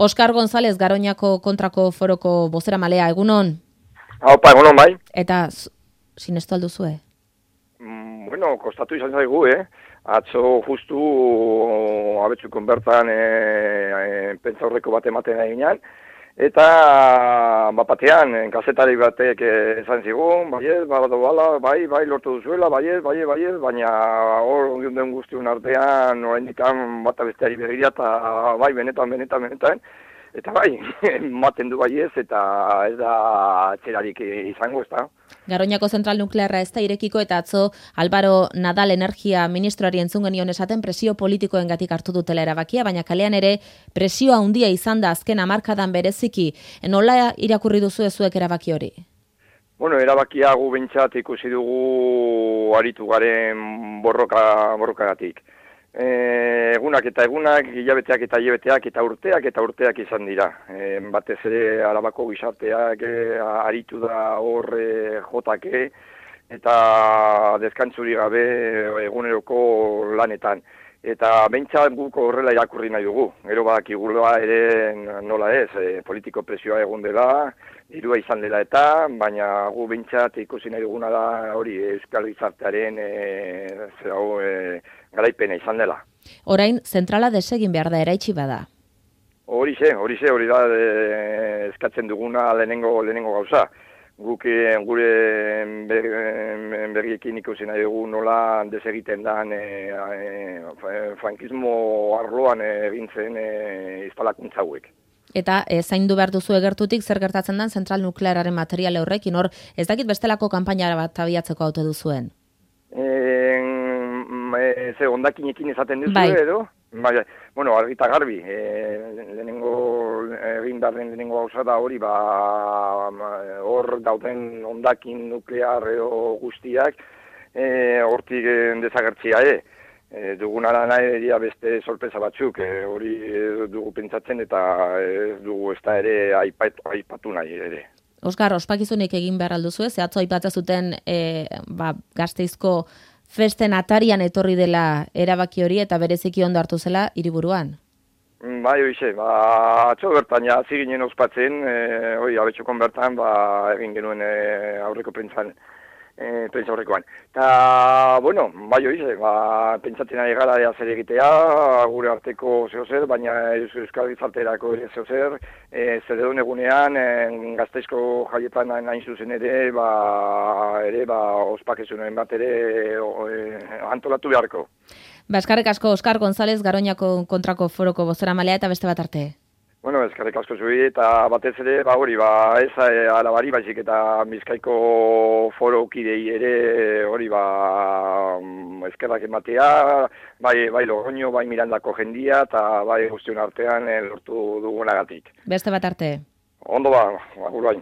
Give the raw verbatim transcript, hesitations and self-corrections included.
Oskar González, Garoñako kontrako foroko bozeramalea, egunon? Haupa, egunon bai. Eta sinestu alduzue? Mm, bueno, kostatu izan zaigu, eh? Atzo justu abetzukon bertan e, e, pentsaurreko bat ematen eginean, eta bapatean, kazetari batek esan zigun, baiet, balado bala, bai, bai, lortu duzuela, baiet, baiet, baiet, baina hor den guztion artean, oraindikan bata besteari begira, eta bai, benetan, benetan, benetan, eta bai, ematen du baiez, eta ez da txerarik izango, ez da. Garoñako zentral nuklearra ez da irekiko eta atzo Álvaro Nadal energia ministroari entzun genion esaten presio politikoengatik hartu dutela erabakia, baina kalean ere presioa handia izan da azken hamarkadan bereziki. Nola irakurri duzu zuek erabaki hori? Bueno, erabakia gu behintzat ikusi dugu aritu garen borroka, borrokagatik. E, egunak eta egunak, hilabeteak eta hilabeteak eta urteak eta urteak izan dira. E, batez ere Arabako gizarteak e, aritu da hor e, jotake eta deskantzuri gabe eguneroko lanetan. Eta behintzat guk horrela irakurri nahi dugu. Gero badakigula ere nola ez, e, politiko presioa egon dela, dirua izan dela eta, baina gu behintzat ikusi nahi duguna da hori Euskal Gizartearen e, zera, e, garaipena izan dela. Orain, zentrala desegin behar da eraitsi bada? Horixe, horixe, hori da e, eskatzen duguna lehenengo, lehenengo gauza. Guk e, gure ber, berriekin ikusi nahi dugu nola desegiten dan e, e, frankismo arloan egin zen e, instalakuntza hauek. Eta e, zaindu behar duzu egertutik zer gertatzen den zentral nukleararen material horrekin, hor ez dakit bestelako kanpaina bat abiatzeko auto duzuen? E, ze ondakinekin esaten duzu bai. edo? Bai, bueno, argita garbi, e, lehenengo egin darren lehenengo gauza da hori, ba, hor dauden ondakin nuklear edo guztiak, e, hortik desagertzia, e. E, dugunara nahi dira beste sorpresa batzuk, e, hori dugu pentsatzen eta ez dugu ez da ere aipatu, aipatu nahi ere. Oskar, ospakizunik egin behar alduzu, ze atzo aipatzen zuten e, ba, Gasteizko festen atarian etorri dela erabaki hori eta bereziki ondo hartu zela hiriburuan. Bai, hoize, ba, atzo bertan ja hasi ginen ospatzen, e, hori abetxokon bertan ba, egin genuen e, aurreko pentsan, e, pentsa horrekoan. Eta, bueno, bai hoize, ba, pentsatzen ari gara ea zer egitea, gure arteko zehozer, baina Euskal Gizarterako ere zehozer, e, zer edun egunean, e, Gasteizko jaietan nahin zuzen ere, ba, ere, ba, ospakizunen bat ere e, antolatu beharko. Ba, eskarrik asko Oskar González, Garoñako kontrako foroko bozeramalea eta beste bat arte. Bueno, eskarrik asko zuri eta batez ere, ba hori, ba ez e, alabari baizik eta Bizkaiko foro kidei ere hori, ba eskerrak ematea, bai, bai Logroño, bai Mirandako jendia eta bai guztion artean e, lortu dugunagatik. Beste bat arte. Ondo ba, agur bai.